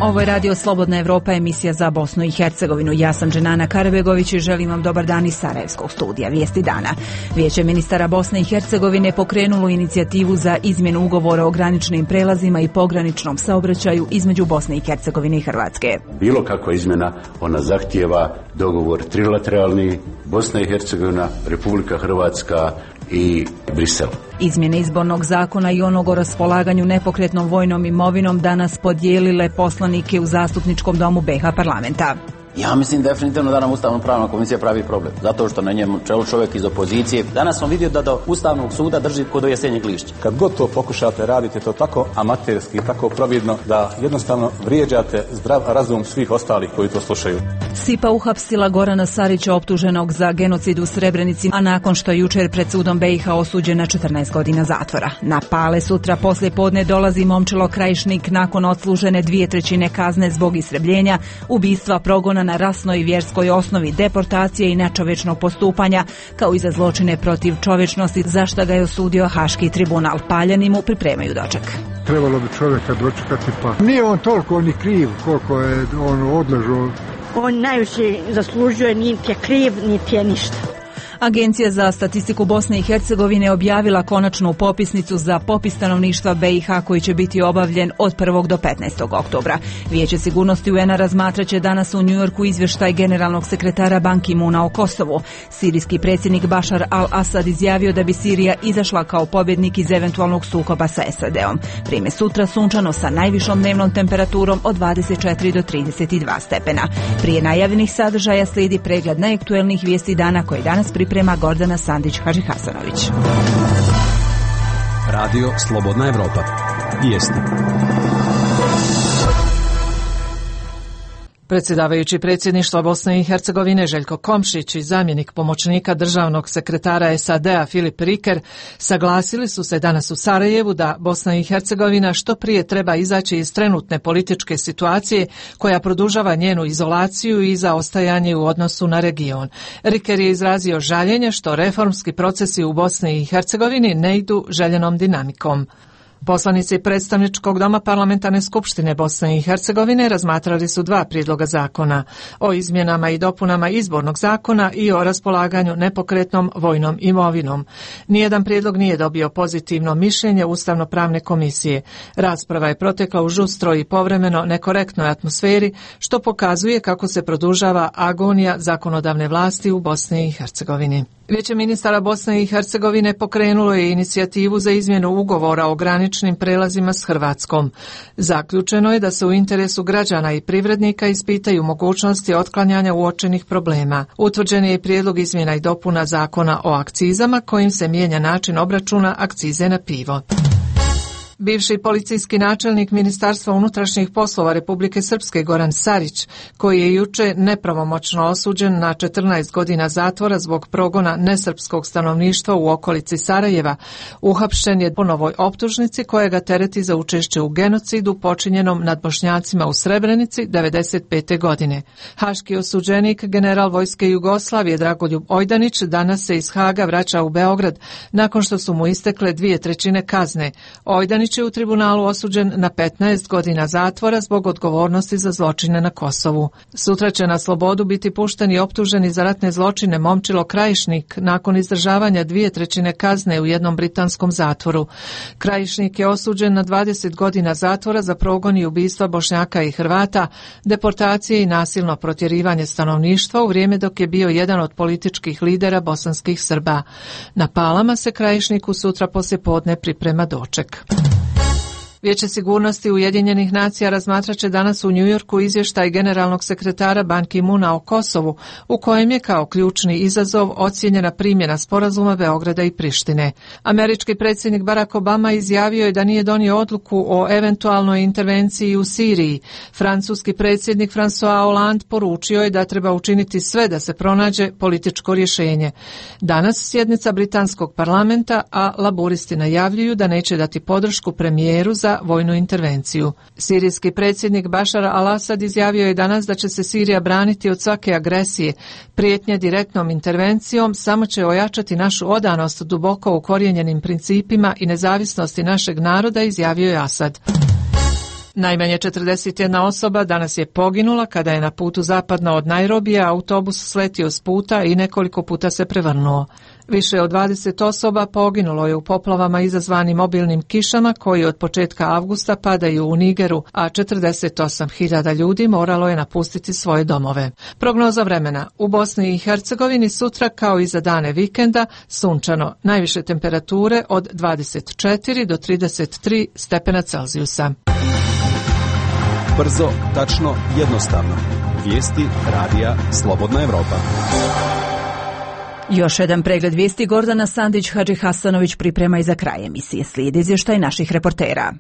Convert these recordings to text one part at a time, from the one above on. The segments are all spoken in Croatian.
Ovo je Radio Slobodna Evropa, emisija za Bosnu i Hercegovinu. Ja sam Dženana Karabegović i želim vam dobar dan iz Sarajevskog studija. Vijesti dana. Vijeće ministara Bosne i Hercegovine pokrenulo inicijativu za izmjenu ugovora o graničnim prelazima i pograničnom saobraćaju između Bosne i Hercegovine i Hrvatske. Bilo kakva izmjena, ona zahtijeva dogovor trilateralni, Bosna i Hercegovina, Republika Hrvatska i Brisel. Izmjene izbornog zakona i onog o raspolaganju nepokretnom vojnom imovinom danas podijelile poslanike u Zastupničkom domu BiH parlamenta. Ja mislim definitivno da nam Ustavno-pravna komisija pravi problem, zato što na njemu čelu čovjek iz opozicije. Danas smo vidjeli da do Ustavnog suda drži kod do jesenjeg lišća. Kad god to pokušate, radite to tako amaterski, tako providno da jednostavno vrijeđate zdrav razum svih ostalih koji to slušaju. SIPA uhapsila Gorana Sarića optuženog za genocid u Srebrenici, a nakon što je jučer pred sudom BiH osuđen na 14 godina zatvora. Na Pale sutra poslije podne dolazi Momčilo Krajišnik nakon odslužene 2/3 kazne zbog istrebljenja, ubistva, progona na rasnoj i vjerskoj osnovi, deportacije i nečovječnog postupanja, kao i za zločine protiv čovječnosti, za šta ga je osudio Haški tribunal. Paljani mu pripremaju doček. Trebalo bi čovjeka dočekati, pa nije on toliko ni kriv koliko je on odležao. On najviše zaslužuje, niti je kriv, niti je ništa. Agencija za statistiku Bosne i Hercegovine objavila konačnu popisnicu za popis stanovništva BiH koji će biti obavljen od 1. do 15. oktobra. Vijeće sigurnosti UN-a razmatraće danas u Njujorku izvještaj generalnog sekretara Ban Ki-moona o Kosovu. Sirijski predsjednik Bašar al-Asad izjavio da bi Sirija izašla kao pobjednik iz eventualnog sukoba sa SAD-om. Vrijeme sutra sunčano sa najvišom dnevnom temperaturom od 24 do 32 stepena. Prije najavljenih sadržaja slijedi pregled najaktuelnijih vijesti dana koji danas priprema Gordana Sandić-Hažihasanović. Radio Slobodna Evropa. Vijesti. Predsjedavajući predsjedništva Bosne i Hercegovine Željko Komšić i zamjenik pomoćnika državnog sekretara SAD-a Filip Riker saglasili su se danas u Sarajevu da Bosna i Hercegovina što prije treba izaći iz trenutne političke situacije koja produžava njenu izolaciju i zaostajanje u odnosu na region. Riker je izrazio žaljenje što reformski procesi u Bosni i Hercegovini ne idu željenom dinamikom. Poslanici predstavničkog doma Parlamentarne skupštine Bosne i Hercegovine razmatrali su dva prijedloga zakona o izmjenama i dopunama izbornog zakona i o raspolaganju nepokretnom vojnom imovinom. Nijedan prijedlog nije dobio pozitivno mišljenje Ustavno-pravne komisije. Rasprava je protekla u žustroj i povremeno nekorektnoj atmosferi, što pokazuje kako se produžava agonija zakonodavne vlasti u Bosni i Hercegovini. Vijeće ministara Bosne i Hercegovine pokrenulo je inicijativu za izmjenu ugovora o graničnim prelazima s Hrvatskom. Zaključeno je da se u interesu građana i privrednika ispitaju mogućnosti otklanjanja uočenih problema. Utvrđen je i prijedlog izmjena i dopuna zakona o akcizama kojim se mijenja način obračuna akcize na pivo. Bivši policijski načelnik Ministarstva unutrašnjih poslova Republike Srpske Goran Sarić, koji je juče nepravomoćno osuđen na 14 godina zatvora zbog progona nesrpskog stanovništva u okolici Sarajeva, uhapšen je po novoj optužnici koja ga tereti za učešće u genocidu počinjenom nad Bošnjacima u Srebrenici 1995. godine. Haški osuđenik, general vojske Jugoslavije Dragoljub Ojdanić, danas se iz Haga vraća u Beograd nakon što su mu istekle 2/3 kazne. Ojdanić je u tribunalu osuđen na 15 godina zatvora zbog odgovornosti za zločine na Kosovu. Sutra će na slobodu biti pušten i optuženi za ratne zločine Momčilo Krajišnik nakon izdržavanja 2/3 kazne u jednom britanskom zatvoru. Krajišnik je osuđen na 20 godina zatvora za progon i ubistva Bošnjaka i Hrvata, deportacije i nasilno protjerivanje stanovništva u vrijeme dok je bio jedan od političkih lidera bosanskih Srba. Na Palama se Krajišniku sutra poslijepodne priprema doček. Vijeće sigurnosti Ujedinjenih nacija razmatrat će danas u Njujorku izvještaj generalnog sekretara Ban Ki-moona o Kosovu, u kojem je kao ključni izazov ocijenjena primjena sporazuma Beograda i Prištine. Američki predsjednik Barack Obama izjavio je da nije donio odluku o eventualnoj intervenciji u Siriji. Francuski predsjednik François Hollande poručio je da treba učiniti sve da se pronađe političko rješenje. Danas sjednica britanskog parlamenta, a laburisti najavljuju da neće dati podršku premijeru za vojnu intervenciju. Sirijski predsjednik Bašar al-Asad izjavio je danas da će se Sirija braniti od svake agresije. Prijetnje direktnom intervencijom samo će ojačati našu odanost duboko ukorijenjenim principima i nezavisnosti našeg naroda, izjavio je Asad. Najmanje 41 osoba danas je poginula kada je na putu zapadno od Nairobija autobus sletio s puta i nekoliko puta se prevrnuo. Više od 20 osoba poginulo je u poplavama izazvanim obilnim kišama koji od početka avgusta padaju u Nigeru, a 48.000 ljudi moralo je napustiti svoje domove. Prognoza vremena: u Bosni i Hercegovini sutra kao i za dane vikenda sunčano, najviše temperature od 24 do 33 stepena Celzijusa. Brzo, tačno, jednostavno. Vijesti radija Slobodna Evropa. Još jedan pregled vijesti Gordana Sandić Hadži Hasanović priprema i za kraj emisije. Slijedi izvještaj naših reportera.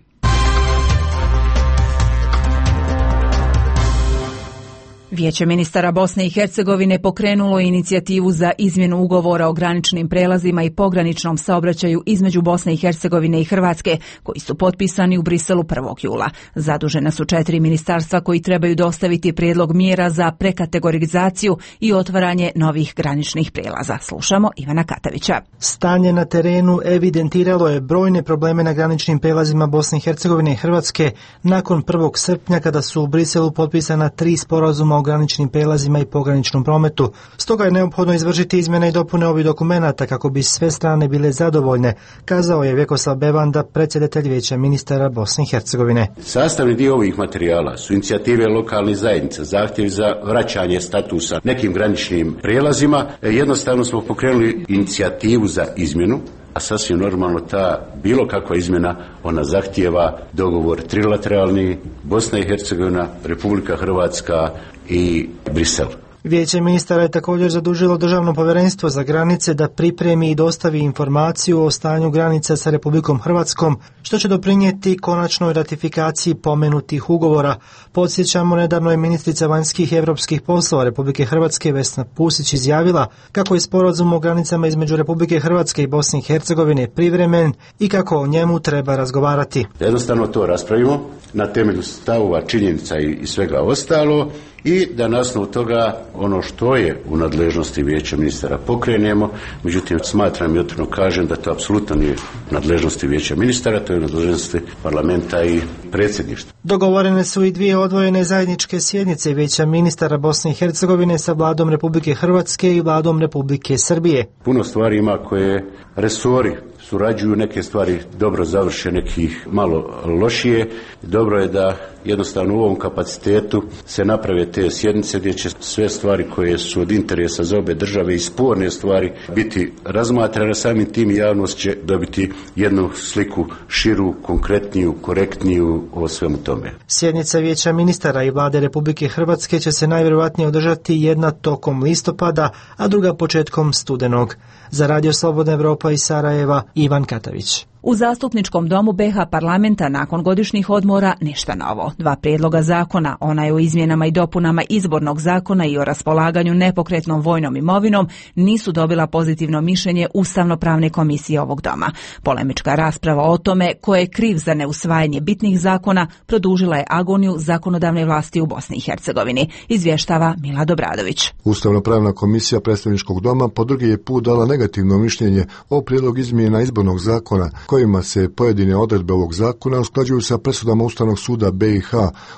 Vijeće ministara Bosne i Hercegovine pokrenulo je inicijativu za izmjenu ugovora o graničnim prelazima i pograničnom saobraćaju između Bosne i Hercegovine i Hrvatske, koji su potpisani u Briselu 1. jula. Zadužena su 4 ministarstva koji trebaju dostaviti prijedlog mjera za prekategorizaciju i otvaranje novih graničnih prelaza. Slušamo Ivana Katavića. Stanje na terenu evidentiralo je brojne probleme na graničnim prelazima Bosne i Hercegovine i Hrvatske nakon 1. srpnja kada su u Briselu potpisana 3 sporazuma o graničnim prelazima i pograničnom prometu. Stoga je neophodno izvršiti izmjene i dopune ovih dokumenata kako bi sve strane bile zadovoljne, kazao je Vjekoslav Bevanda, predsjedatelj Vijeća ministara Bosne i Hercegovine. Sastavni dio ovih materijala su inicijative lokalnih zajednica, zahtjevi za vraćanje statusa nekim graničnim prijelazima. Jednostavno smo pokrenuli inicijativu za izmjenu, a sasvim normalno ta bilo kakva izmjena, ona zahtijeva dogovor trilateralni, Bosna i Hercegovina, Republika Hrvatska i Brisel. Vijeće ministara je također zadužilo Državno povjerenstvo za granice da pripremi i dostavi informaciju o stanju granica sa Republikom Hrvatskom, što će doprinijeti konačnoj ratifikaciji pomenutih ugovora. Podsjećamo, nedavno je ministrica vanjskih i europskih poslova Republike Hrvatske Vesna Pusić izjavila kako je sporazum o granicama između Republike Hrvatske i Bosne i Hercegovine privremen i kako o njemu treba razgovarati. Jednostavno to raspravimo na temelju stavova, činjenica i svega ostalo, i da na osnovu toga ono što je u nadležnosti Vijeća ministara pokrenemo. Međutim, smatram i otvoreno kažem da to apsolutno nije u nadležnosti Vijeća ministara, to je u nadležnosti parlamenta i predsjedništva. Dogovorene su i 2 odvojene zajedničke sjednice Vijeća ministara Bosne i Hercegovine sa vladom Republike Hrvatske i vladom Republike Srbije. Puno stvari ima koje resori surađuju, neke stvari dobro završe, nekih malo lošije. Dobro je da jednostavno u ovom kapacitetu se naprave te sjednice gdje će sve stvari koje su od interesa za obe države i sporne stvari biti razmatrane, samim tim javnost će dobiti jednu sliku širu, konkretniju, korektniju o svemu tome. Sjednica Vijeća ministara i vlade Republike Hrvatske će se najvjerojatnije održati jedna tokom listopada, a druga početkom studenog. Za Radio Slobodna Evropa iz Sarajeva, Ivan Katavić. U Zastupničkom domu BiH parlamenta nakon godišnjih odmora ništa novo. 2 prijedloga zakona, onaj o izmjenama i dopunama izbornog zakona i o raspolaganju nepokretnom vojnom imovinom, nisu dobila pozitivno mišljenje Ustavno-pravne komisije ovog doma. Polemička rasprava o tome ko je kriv za neusvajanje bitnih zakona produžila je agoniju zakonodavne vlasti u Bosni i Hercegovini, izvještava Mila Dobradović. Ustavno-pravna komisija predstavničkog doma po drugi je put dala negativno mišljenje o prijedlogu izmjena izbornog zakona, kojima se pojedine odredbe ovog zakona usklađuju sa presudama Ustavnog suda BiH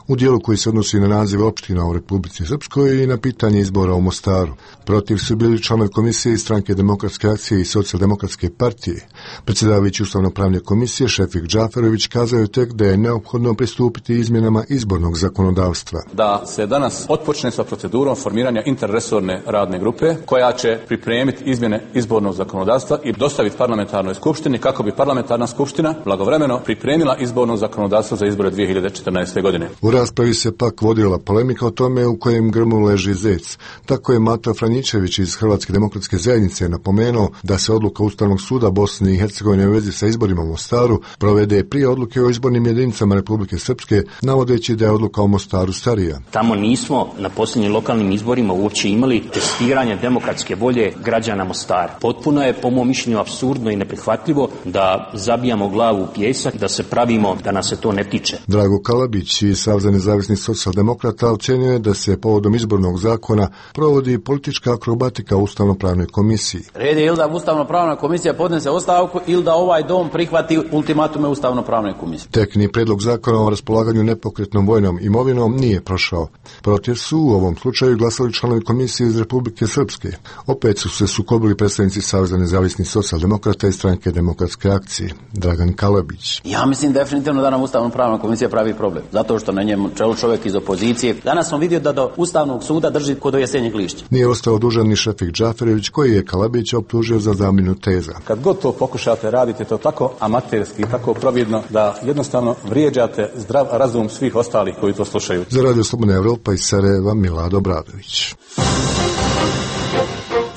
u dijelu koji se odnosi na nazive opština u Republici Srpskoj i na pitanje izbora u Mostaru. Protiv su bili članovi komisije iz Stranke demokratske akcije i Socijaldemokratske partije. Predsjedavajući Ustavno-pravne komisije Šefik Džaferović kazao je tek da je neophodno pristupiti izmjenama izbornog zakonodavstva. Da se danas otpočne sa procedurom formiranja interresorne radne grupe koja će pripremiti izmjene izbornog zakonodavstva i dostaviti parlamentarnoj skupštini kako bi parlamentarna skupština blagovremeno pripremila izborno zakonodavstvo za izbore 2014. godine. U raspravi se pak vodila polemika o tome u kojem grmu leži zec. Tako je Mato Franjičević iz Hrvatske demokratske zajednice napomenuo da se odluka Ustavnog suda Bosne i Hercegovine u vezi sa izborima u Mostaru provede prije odluke o izbornim jedinicama Republike Srpske, navodeći da je odluka o Mostaru starija. Tamo nismo na posljednjim lokalnim izborima uopće imali testiranje demokratske volje građana Mostara. Potpuno je, po mom mišljenju, apsurdno i neprihvatljivo da zabijamo glavu u pijesak, da se pravimo da nas se to ne tiče. Drago Kalabić iz Saveza nezavisnih socijaldemokrata ocjenjuje da se povodom izbornog zakona provodi politička akrobatika u Ustavno-pravnoj komisiji. Red je ili da Ustavno-pravna komisija podnese ostavku ili da ovaj dom prihvati ultimatume Ustavno-pravne komisije. Tekni predlog zakona o raspolaganju nepokretnom vojnom imovinom nije prošao. Protiv su u ovom slučaju glasali članovi komisije iz Republike Srpske. Opet su se sukobili predstavnici Saveza nezavisnih socijaldemokrata i Stranke demokratske akcije. Dragan Kalabić. Ja mislim definitivno da nam Ustavno-pravna komisija pravi problem. Zato što na njemu čelu čovjek iz opozicije. Danas smo vidio da do Ustavnog suda drži kod do jesenjeg lišća. Nije ostao dužan ni Šefik Džaferević koji je Kalabića optužio za zamjenu teza. Kad god to pokušate, radite to tako amaterski, tako providno da jednostavno vrijeđate zdrav razum svih ostalih koji to slušaju. Za Radio Slobodna Evropa iz Sarajeva Milado Bradović.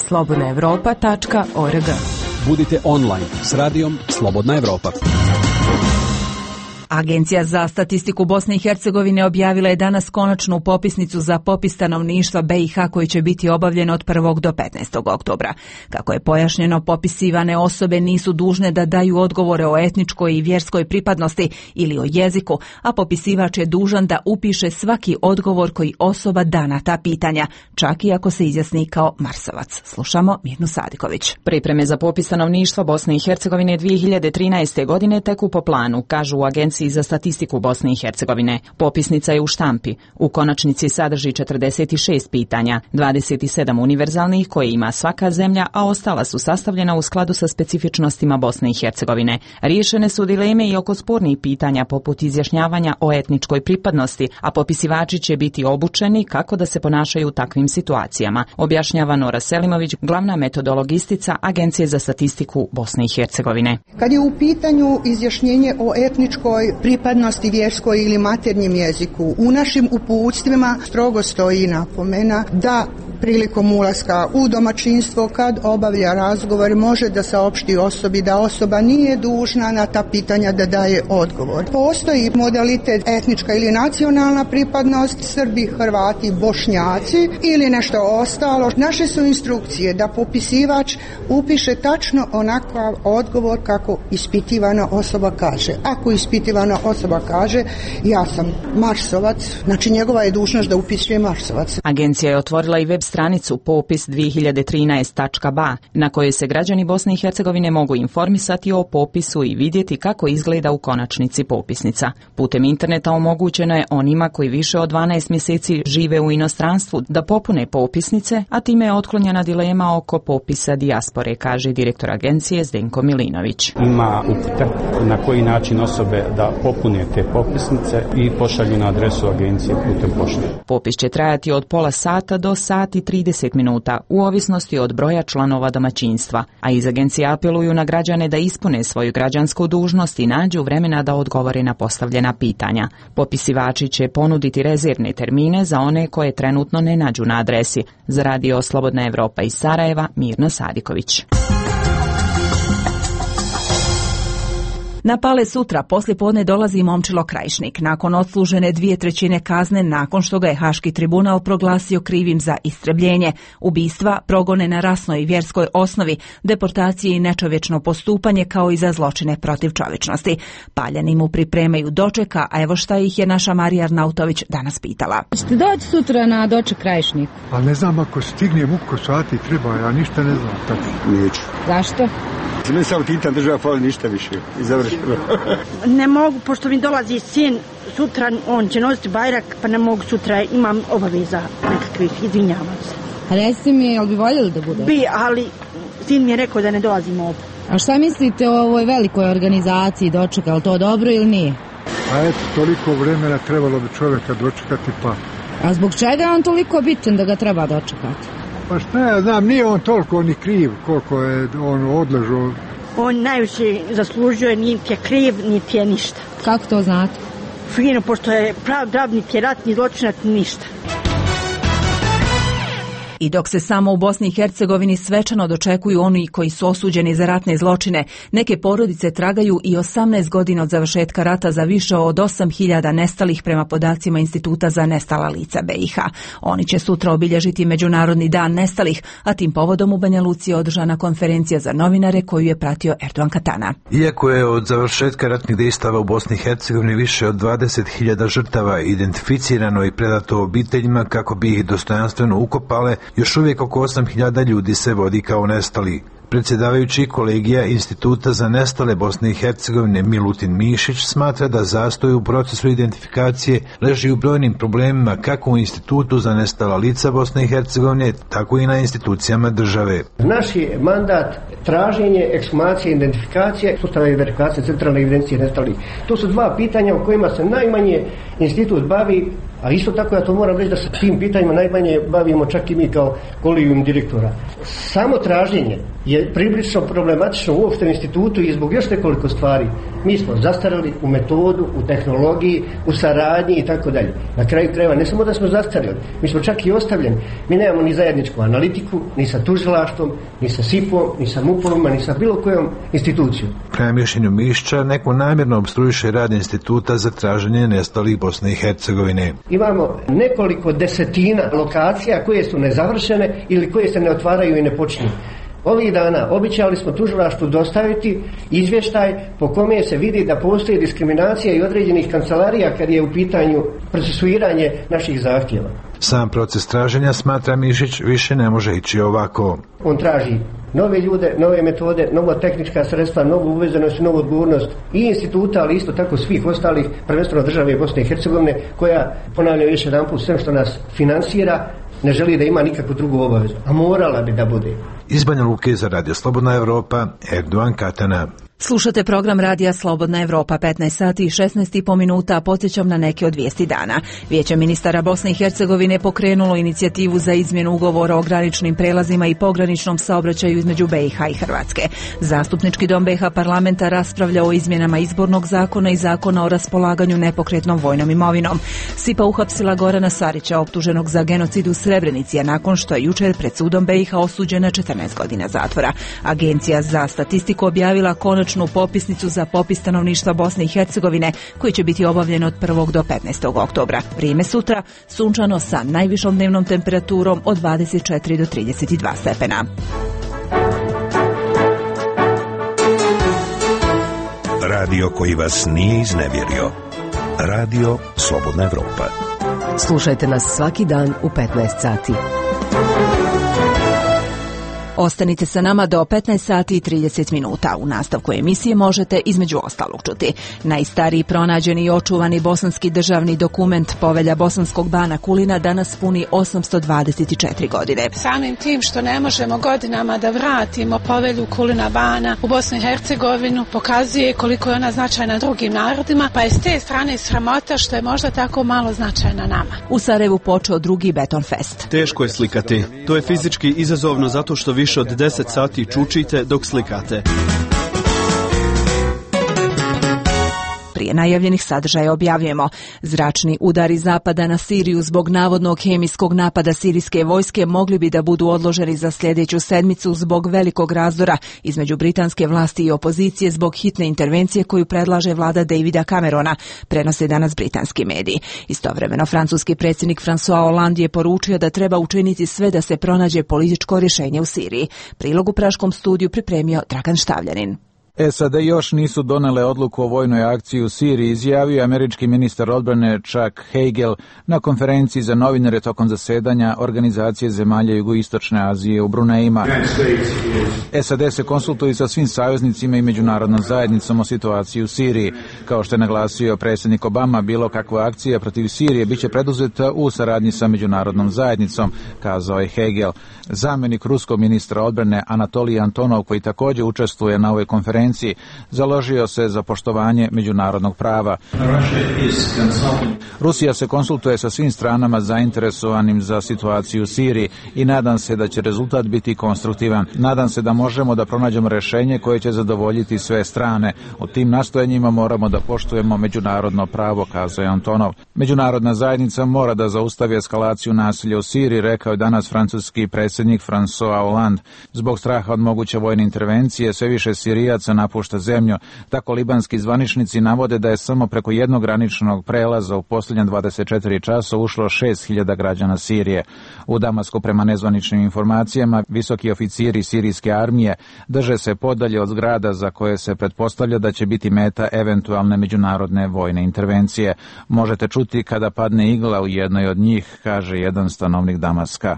slobodnaevropa.org. Budite online s radijom Slobodna Evropa. Agencija za statistiku Bosne i Hercegovine objavila je danas konačnu popisnicu za popis stanovništva BiH koji će biti obavljen od 1. do 15. oktobra. Kako je pojašnjeno, popisivane osobe nisu dužne da daju odgovore o etničkoj i vjerskoj pripadnosti ili o jeziku, a popisivač je dužan da upiše svaki odgovor koji osoba da na ta pitanja, čak i ako se izjasni kao Marsovac. Slušamo Mirnu Sadiković. Pripreme za popis stanovništva Bosne i Hercegovine 2013. godine teku po planu, kažu u Agenciji za statistiku Bosne i Hercegovine. Popisnica je u štampi. U konačnici sadrži 46 pitanja, 27 univerzalnih koje ima svaka zemlja, a ostala su sastavljena u skladu sa specifičnostima Bosne i Hercegovine. Riješene su dileme i oko spornih pitanja poput izjašnjavanja o etničkoj pripadnosti, a popisivači će biti obučeni kako da se ponašaju u takvim situacijama, objašnjava Nora Selimović, glavna metodologistica Agencije za statistiku Bosne i Hercegovine. Kad je u pitanju izjašnjenje o etničkoj pripadnosti, vjerskoj ili maternjem jeziku, u našim uputstvima strogo stoji napomena da prilikom ulaska u domaćinstvo kad obavlja razgovor može da saopšti osobi da osoba nije dužna na ta pitanja da daje odgovor. Postoji modalitet etnička ili nacionalna pripadnost, Srbi, Hrvati, Bošnjaci ili nešto ostalo. Naše su instrukcije da popisivač upiše tačno onakav odgovor kako ispitivana osoba kaže. Ako ispitivana osoba kaže ja sam Marsovac, znači njegova je dužnost da upisuje Marsovac. Agencija je otvorila i web stranicu popis 2013.ba na kojoj se građani Bosne i Hercegovine mogu informisati o popisu i vidjeti kako izgleda u konačnici popisnica. Putem interneta omogućeno je onima koji više od 12 mjeseci žive u inostranstvu da popune popisnice, a time je otklonjena dilema oko popisa dijaspore, kaže direktor agencije Zdenko Milinović. Ima upute na koji način osobe da popune te popisnice i pošalju na adresu agencije putem pošte. Popis će trajati od pola sata do sat i 30 minuta, u ovisnosti od broja članova domaćinstva, a iz agencije apeluju na građane da ispune svoju građansku dužnost i nađu vremena da odgovore na postavljena pitanja. Popisivači će ponuditi rezervne termine za one koje trenutno ne nađu na adresi. Za Radio Slobodna Evropa iz Sarajeva, Mirna Sadiković. Na Pale sutra poslijepodne dolazi Momčilo Krajišnik nakon odslužene 2/3 kazne nakon što ga je Haški tribunal proglasio krivim za istrebljenje, ubistva, progone na rasnoj i vjerskoj osnovi, deportacije i nečovječno postupanje kao i za zločine protiv čovječnosti. Paljani mu pripremaju dočeka, a evo šta ih je naša Marija Arnautović danas pitala. Ćete doći sutra na doček Krajišniku? A ne znam ako stignem uko sati treba, ja ništa ne znam. Tako. Neću. Zašto? Ne sam titan država fali ništa više i završeno. Ne mogu, pošto mi dolazi sin sutra, on će nositi bajrak, pa ne mogu sutra, imam obaveza nekakvih, izvinjavam se. A reci mi, jel bi voljeli da bude? Bi, ali sin mi je rekao da ne dolazimo ovdje. A šta mislite o ovoj velikoj organizaciji dočeka, je to dobro ili nije? A eto, toliko vremena trebalo bi čovjeka dočekati pa. A zbog čega je on toliko bitan da ga treba dočekati? Pa šta ja znam, nije on toliko ni kriv koliko je on odležao. On najviše zaslužuje, niti je kriv, niti je ništa. Kako to znate? Fino, pošto je prav niti je ratni zločinac, ništa. I dok se samo u Bosni i Hercegovini svečano dočekuju oni koji su osuđeni za ratne zločine, neke porodice tragaju i 18 godina od završetka rata za više od 8.000 nestalih prema podacima Instituta za nestala lica BiH. Oni će sutra obilježiti Međunarodni dan nestalih, a tim povodom u Banja Luci je održana konferencija za novinare koju je pratio Erdogan Katana. Iako je od završetka ratnih dejstava u Bosni i Hercegovini više od 20.000 žrtava identificirano i predato obiteljima kako bi ih dostojanstveno ukopale, još uvijek oko 8.000 ljudi se vodi kao nestali. Predsjedavajući kolegija Instituta za nestale Bosne i Hercegovine Milutin Mišić smatra da zastoj u procesu identifikacije leži u brojnim problemima kako u Institutu za nestala lica Bosne i Hercegovine, tako i na institucijama države. Naš je mandat traženje, ekshumacije, identifikacije, sustavna verifikacija, centralne evidencije nestalih. To su dva pitanja o kojima se najmanje institut bavi, a isto tako ja to moram reći da se tim pitanjima najmanje bavimo čak i mi kao kolegijum direktora. Samo traženje je prilično problematično uopšte u institutu i zbog još nekoliko stvari. Mi smo zastarili u metodu, u tehnologiji, u saradnji i tako dalje. Na kraju krajeva ne samo da smo zastarili, mi smo čak i ostavljeni. Mi nemamo ni zajedničku analitiku, ni sa tužilaštvom, ni sa SIP-om, ni sa MUP-ovima, ni sa bilo kojom institucijom. Prema mišljenju Mišića, neko namjerno opstruiše rad instituta za traženje nestalih Bosne i Hercegovine. Imamo nekoliko desetina lokacija koje su nezavršene ili koje se ne otvaraju i ne počinju. Ovih dana običali smo tužilaštvu dostaviti izvještaj po kome se vidi da postoji diskriminacija i određenih kancelarija kad je u pitanju procesuiranje naših zahtjeva. Sam proces traženja, smatra Mišić, više ne može ići ovako. On traži nove ljude, nove metode, nova tehnička sredstva, novu uvezenost i novu odgovornost i instituta, ali isto tako svih ostalih, prvenstveno države Bosne i Hercegovine, koja, ponavljam još jedanput, sve što nas finansira, ne želi da ima nikakvu drugu obavezu, a morala bi da bude. Iz Banja Luke za Radio Slobodna Evropa, Erdogan Katana. Slušate program Radija Slobodna Evropa, 15 sati i 16,5 minuta, podsjećam na neke od vijesti dana. Vijeće ministara Bosne i Hercegovine pokrenulo inicijativu za izmjenu ugovora o graničnim prelazima i pograničnom saobraćaju između BiH i Hrvatske. Zastupnički dom BiH parlamenta raspravlja o izmjenama izbornog zakona i zakona o raspolaganju nepokretnom vojnom imovinom. SIPA uhapsila Gorana Sarića, optuženog za genocid u Srebrenici, a nakon što je jučer pred sudom BiH osuđen na 14 godina zatvora. Agencija za statistiku objavila konačnu popisnicu za popis stanovništva Bosne i Hercegovine koji će biti obavljen od 1. do 15. oktobra. Vrijeme sutra sunčano sa najvišom dnevnom temperaturom od 24 do 32 stepena. Radio koji vas nije iznevjerio. Radio Slobodna Evropa. Slušajte nas svaki dan u 15 sati. Ostanite sa nama do 15 sati i 30 minuta. U nastavku emisije možete između ostalog čuti: najstariji pronađeni i očuvani bosanski državni dokument, Povelja bosanskog bana Kulina, danas puni 824 godine. Samim tim što ne možemo godinama da vratimo Povelju Kulina bana u Bosnu i Hercegovinu, pokazuje koliko je ona značajna drugim narodima, pa je s te strane sramota što je možda tako malo značajna nama. U Sarajevu počeo drugi Beton Fest. Teško je slikati. To je fizički izazovno zato što više od 10 sati čučite dok slikate. Prije najavljenih sadržaja objavljujemo: zračni udari zapada na Siriju zbog navodnog hemijskog napada sirijske vojske mogli bi da budu odloženi za sljedeću sedmicu zbog velikog razdora između britanske vlasti i opozicije zbog hitne intervencije koju predlaže vlada Davida Camerona, prenose danas britanski mediji. Istovremeno, francuski predsjednik François Hollande je poručio da treba učiniti sve da se pronađe političko rješenje u Siriji. Prilog u Praškom studiju pripremio Dragan Štavljanin. SAD još nisu donele odluku o vojnoj akciji u Siriji, izjavio američki ministar odbrane Chuck Hagel na konferenciji za novinare tokom zasedanja Organizacije zemalja Jugoistočne Azije u Brunejima. SAD se konsultuje sa svim saveznicima i međunarodnom zajednicom o situaciji u Siriji. Kao što je naglasio predsjednik Obama, bilo kakva akcija protiv Sirije biće preduzeta u saradnji sa međunarodnom zajednicom, kazao je Hagel. Zamjenik ruskog ministra odbrane Anatolij Antonov, koji također učestvuje na ovoj konferenciji, intervenciji, založio se za poštovanje međunarodnog prava. Rusija se konsultuje sa svim stranama zainteresovanim za situaciju u Siriji i nadam se da će rezultat biti konstruktivan. Nadam se da možemo da pronađemo rješenje koje će zadovoljiti sve strane. U tim nastojanjima moramo da poštujemo međunarodno pravo, kazao je Antonov. Međunarodna zajednica mora da zaustavi eskalaciju nasilja u Siriji, rekao je danas francuski predsjednik François Hollande. Zbog straha od moguće vojne intervencije sve više Sirijaca napušta zemlju. Tako libanski zvaničnici navode da je samo preko jednog graničnog prelaza u posljednje 24 časa ušlo 6.000 građana Sirije. U Damasku, prema nezvaničnim informacijama, visoki oficiri sirijske armije drže se podalje od zgrada za koje se pretpostavlja da će biti meta eventualne međunarodne vojne intervencije. Možete čuti kada padne igla u jednoj od njih, kaže jedan stanovnik Damaska.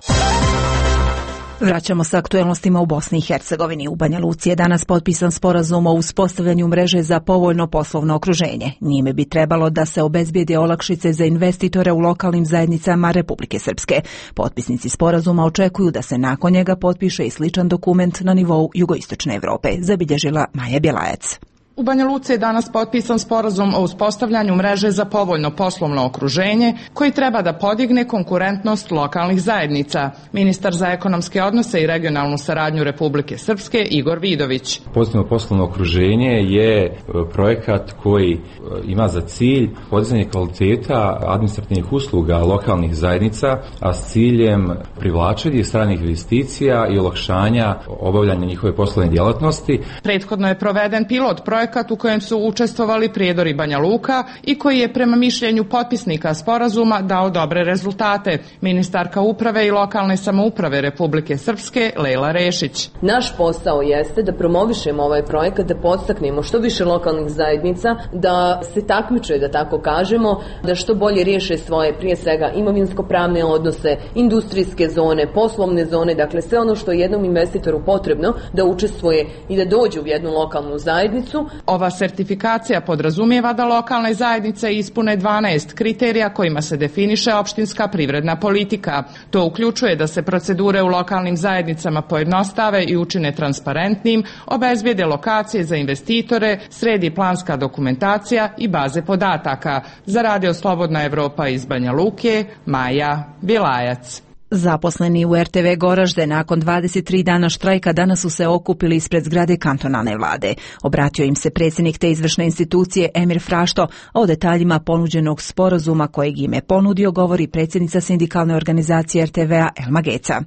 Vraćamo se aktuelnostima u Bosni i Hercegovini. U Banja Luci je danas potpisan sporazum o uspostavljanju mreže za povoljno poslovno okruženje. Njime bi trebalo da se obezbijede olakšice za investitore u lokalnim zajednicama Republike Srpske. Potpisnici sporazuma očekuju da se nakon njega potpiše i sličan dokument na nivou jugoistočne Evrope, zabilježila Maja Bjelajac. U Banja Luci je danas potpisan sporazum o uspostavljanju mreže za povoljno poslovno okruženje koji treba da podigne konkurentnost lokalnih zajednica. Ministar za ekonomske odnose i regionalnu saradnju Republike Srpske Igor Vidović. Pozitivno poslovno okruženje je projekat koji ima za cilj podizanje kvaliteta administrativnih usluga lokalnih zajednica, a s ciljem privlačenja stranih investicija i olakšanja obavljanja njihove poslovne djelatnosti. Prethodno je proveden pilot projekat u kojem su učestvovali Prijedor i Banja Luka i koji je prema mišljenju potpisnika sporazuma dao dobre rezultate. Ministarka uprave i lokalne samouprave Republike Srpske Lejla Rešić. Naš posao jeste da promovišemo ovaj projekat, da podstaknemo što više lokalnih zajednica, da se takmiče, da tako kažemo, da što bolje riješe svoje, prije svega, imovinsko-pravne odnose, industrijske zone, poslovne zone, dakle sve ono što je jednom investitoru potrebno da učestvuje i da dođe u jednu lokalnu zajednicu. Ova sertifikacija podrazumijeva da lokalne zajednice ispune 12 kriterija kojima se definiše opštinska privredna politika. To uključuje da se procedure u lokalnim zajednicama pojednostave i učine transparentnim, obezbijede lokacije za investitore, sredi planska dokumentacija i baze podataka. Za Radio Slobodna Evropa iz Banja Luke, Maja Bjelajac. Zaposleni u RTV Goražde nakon 23 dana štrajka danas su se okupili ispred zgrade kantonalne vlade. Obratio im se predsjednik te izvršne institucije Emir Frašto, a o detaljima ponuđenog sporazuma kojeg im je ponudio govori predsjednica sindikalne organizacije RTV-a Elma Geca.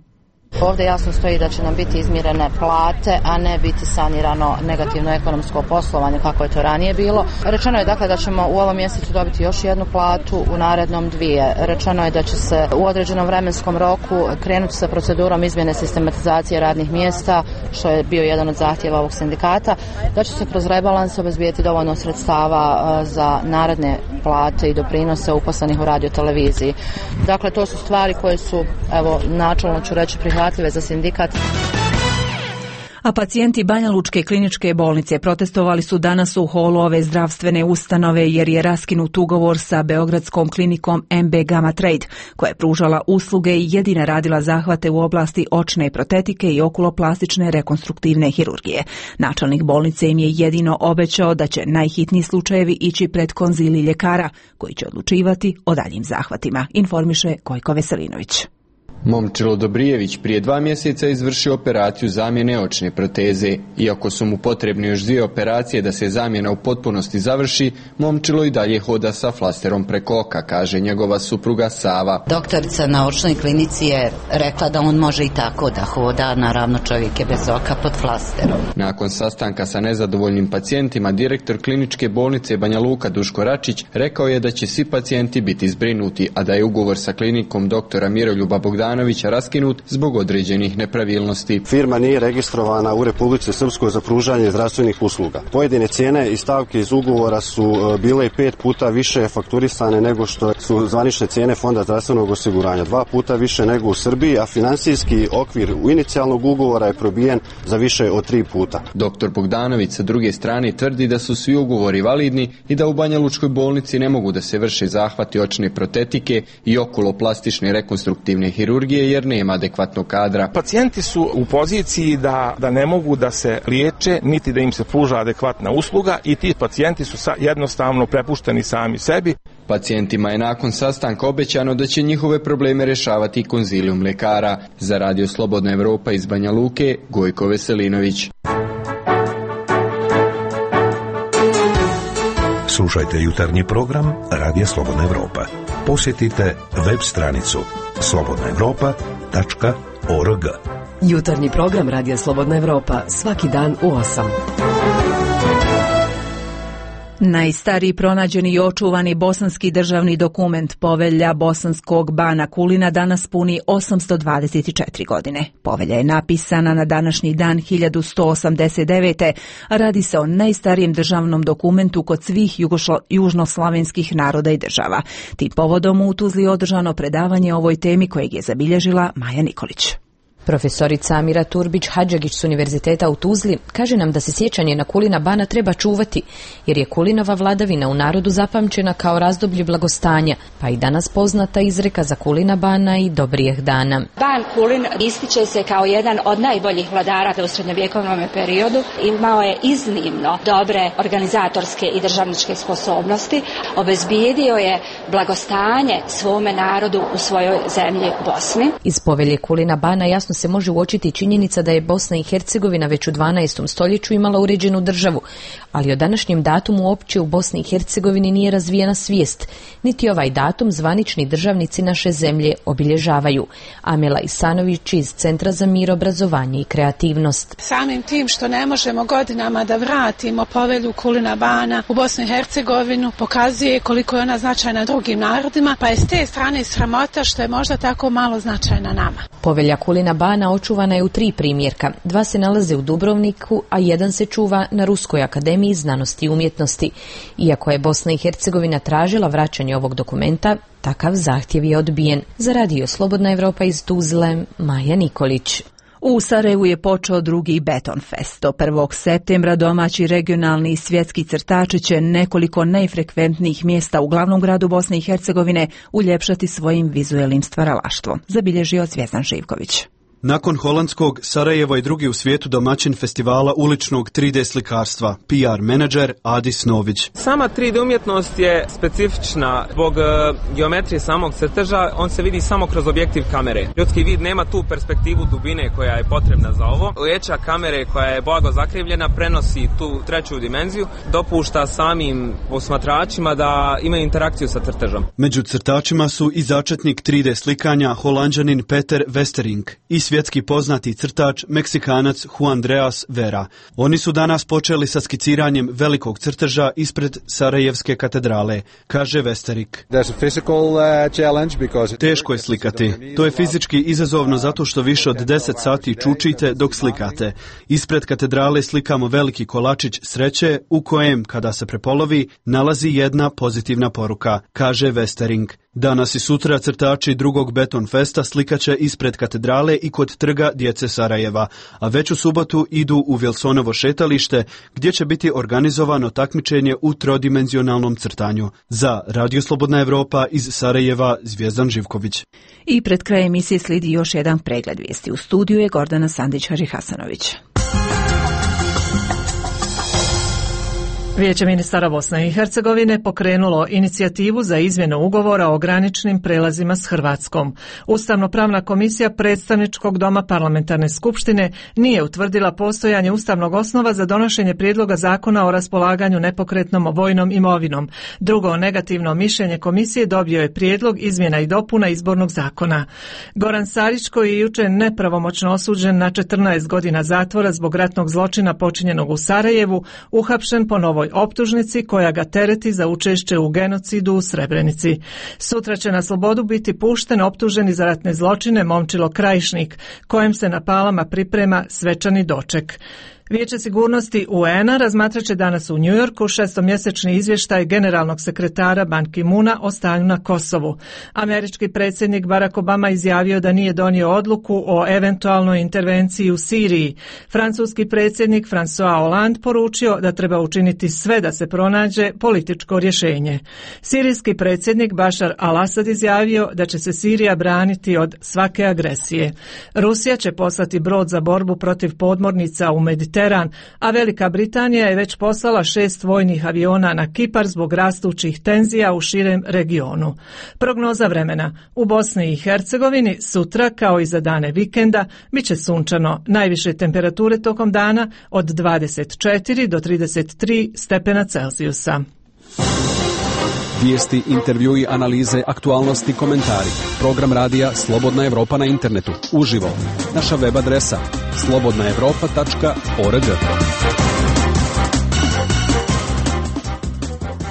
Ovdje jasno stoji da će nam biti izmirene plate, a ne biti sanirano negativno ekonomsko poslovanje kako je to ranije bilo. Rečeno je dakle da ćemo u ovom mjesecu dobiti još jednu platu, u narednom dvije. Rečeno je da će se u određenom vremenskom roku krenuti sa procedurom izmjene sistematizacije radnih mjesta, što je bio jedan od zahtjeva ovog sindikata, da će se kroz rebalans obezbijeti dovoljno sredstava za naredne plate i doprinose uposlenih u radioteleviziji. Dakle, to su stvari koje su, evo, načelno ću reći, prihvatljive za sindikat. A pacijenti Banja Lučke kliničke bolnice protestovali su danas u holu ove zdravstvene ustanove jer je raskinut ugovor sa beogradskom klinikom MB Gamma Trade, koja je pružala usluge i jedina radila zahvate u oblasti očne protetike i okuloplastične rekonstruktivne hirurgije. Načelnik bolnice im je jedino obećao da će najhitniji slučajevi ići pred konzilij ljekara, koji će odlučivati o daljim zahvatima, informiše Gojko Veselinović. Momčilo Dobrijević prije 2 mjeseca izvršio operaciju zamjene očne proteze. Iako su mu potrebne još 2 operacije da se zamjena u potpunosti završi, Momčilo i dalje hoda sa flasterom preko oka, kaže njegova supruga Sava. Doktorica na očnoj klinici je rekla da on može i tako da hoda, naravno čovjek je bez oka pod flasterom. Nakon sastanka sa nezadovoljnim pacijentima, direktor kliničke bolnice Banja Luka Duško Račić rekao je da će svi pacijenti biti zbrinuti, a da je ugovor sa klinikom doktora Miroljuba Bogdanovića raskinut zbog određenih nepravilnosti. Firma nije registrovana u Republici Srpskoj za pružanje zdravstvenih usluga. Pojedine cijene i stavke iz ugovora su bile 5 puta više fakturisane nego što su zvanične cijene Fonda zdravstvenog osiguranja. 2 puta više nego u Srbiji, a financijski okvir u inicijalnog ugovora je probijen za više od 3 puta. Doktor Bogdanović sa druge strane tvrdi da su svi ugovori validni i da u Banja Lučkoj bolnici ne mogu da se vrše zahvati očne protetike i okuloplastične rekonstruktivne hirurgije kirurgije jer nema adekvatnog kadra. Pacijenti su u poziciji da ne mogu da se liječe, niti da im se pruža adekvatna usluga i ti pacijenti su jednostavno prepušteni sami sebi. Pacijentima je nakon sastanka obećano da će njihove probleme rješavati konzilijum lekara. Za Radio Slobodna Evropa iz Banja Luke, Gojko Veselinović. Slušajte jutarnji program Radija Slobodna Evropa. Posjetite web stranicu slobodnaevropa.org. Jutarnji program Radija Slobodna Evropa svaki dan u 8. Najstariji pronađeni i očuvani bosanski državni dokument, Povelja bosanskog bana Kulina, danas puni 824 godine. Povelja je napisana na današnji dan 1189. a radi se o najstarijem državnom dokumentu kod svih južnoslavenskih naroda i država. Tim povodom u Tuzli održano predavanje o ovoj temi kojeg je zabilježila Maja Nikolić. Profesorica Amira Turbić-Hadžagić s Univerziteta u Tuzli kaže nam da se sjećanje na Kulina bana treba čuvati, jer je Kulinova vladavina u narodu zapamćena kao razdoblje blagostanja, pa i danas poznata izreka za Kulina bana i dobrijeh dana. Ban Kulin ističe se kao jedan od najboljih vladara u srednjovjekovnom periodu. Imao je iznimno dobre organizatorske i državničke sposobnosti. Obezbijedio je blagostanje svome narodu u svojoj zemlji Bosni. Iz Povelje Kulina bana jasno se može uočiti činjenica da je Bosna i Hercegovina već u 12. stoljeću imala uređenu državu, ali o današnjem datumu uopće u Bosni i Hercegovini nije razvijena svijest, niti ovaj datum zvanični državnici naše zemlje obilježavaju. Amela Isanović iz Centra za mir, obrazovanje i kreativnost. Samim tim što ne možemo godinama da vratimo Povelju Kulina bana u Bosnu i Hercegovinu pokazuje koliko je ona značajna drugim narodima, pa je s te strane sramota što je možda tako malo značajna nama. Povelja Kulina bana očuvana je u 3 primjerka. 2 se nalaze u Dubrovniku, a 1 se čuva na Ruskoj akademiji znanosti i umjetnosti. Iako je Bosna i Hercegovina tražila vraćanje ovog dokumenta, takav zahtjev je odbijen. Za Radio Slobodna Evropa iz Tuzle, Maja Nikolić. U Sarajevu je počeo drugi Beton Fest. Do 1. septembra domaći, regionalni i svjetski crtači će nekoliko najfrekventnijih mjesta u glavnom gradu Bosne i Hercegovine uljepšati svojim vizuelnim stvaralaštvom, zabilježio Zvjezdan Živković. Nakon holandskog, Sarajevo je drugi u svijetu domaćin festivala uličnog 3D slikarstva, PR menadžer Adis Nović. Sama 3D umjetnost je specifična zbog geometrije samog crteža, on se vidi samo kroz objektiv kamere. Ljudski vid nema tu perspektivu dubine koja je potrebna za ovo. Leća kamere koja je blago zakrivljena prenosi tu treću dimenziju, dopušta samim posmatračima da imaju interakciju sa crtežom. Među crtačima su i začetnik 3D slikanja Holanđanin Peter Westering i svjetski poznati crtač Meksikanac Juan Andreas Vera. Oni su danas počeli sa skiciranjem velikog crteža ispred Sarajevske katedrale, kaže Westering. Teško je slikati. To je fizički izazovno zato što više od 10 sati čučite dok slikate. Ispred katedrale slikamo veliki kolačić sreće u kojem, kada se prepolovi, nalazi jedna pozitivna poruka, kaže Westering. Danas i sutra crtači drugog Beton Festa slikaće ispred katedrale i kod trga djece Sarajeva, a već u subotu idu u Wilsonovo šetalište gdje će biti organizovano takmičenje u trodimenzionalnom crtanju. Za Radio Slobodna Evropa iz Sarajeva, Zvjezdan Živković. I pred krajem emisije slijedi još jedan pregled vijesti. U studiju je Gordana Sandić-Harihasanović. Vijeće ministara Bosne i Hercegovine pokrenulo inicijativu za izmjenu ugovora o graničnim prelazima s Hrvatskom. Ustavno-pravna komisija predstavničkog doma parlamentarne skupštine nije utvrdila postojanje ustavnog osnova za donošenje prijedloga zakona o raspolaganju nepokretnom vojnom imovinom. Drugo negativno mišljenje komisije dobio je prijedlog izmjena i dopuna izbornog zakona. Goran Sarić, koji je jučer nepravomoćno osuđen na 14 godina zatvora zbog ratnog zločina počinjenog u Sarajevu, uhapšen po novoj optužnici koja ga tereti za učešće u genocidu u Srebrenici. Sutra će na slobodu biti pušten optuženi za ratne zločine Momčilo Krajišnik, kojem se na Palama priprema svečani doček. Vijeće sigurnosti UN-a razmatraće danas u Njujorku šestomjesečni izvještaj generalnog sekretara Ban Ki-moona o stanju na Kosovu. Američki predsjednik Barack Obama izjavio da nije donio odluku o eventualnoj intervenciji u Siriji. Francuski predsjednik François Hollande poručio da treba učiniti sve da se pronađe političko rješenje. Sirijski predsjednik Bashar al-Assad izjavio da će se Sirija braniti od svake agresije. Rusija će poslati brod za borbu protiv podmornica u Mediteran, a Velika Britanija je već poslala 6 vojnih aviona na Kipar zbog rastućih tenzija u širem regionu. Prognoza vremena. U Bosni i Hercegovini sutra, kao i za dane vikenda, bit će sunčano. Najviše temperature tokom dana od 24 do 33 stepena Celzijusa. Vijesti, intervjui, analize, aktualnosti, komentari. Program radija Slobodna Evropa na internetu. Uživo. Naša web adresa slobodnaevropa.org.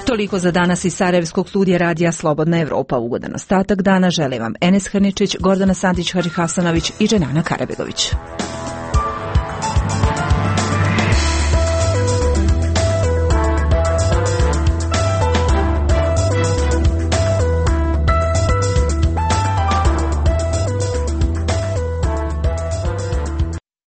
Toliko za danas iz Sarajevskog studija radija Slobodna Evropa. Ugodan ostatak dana žele vam Enes Hrničić, Gordana Sandić-Harihasanović i Dženana Karabegović.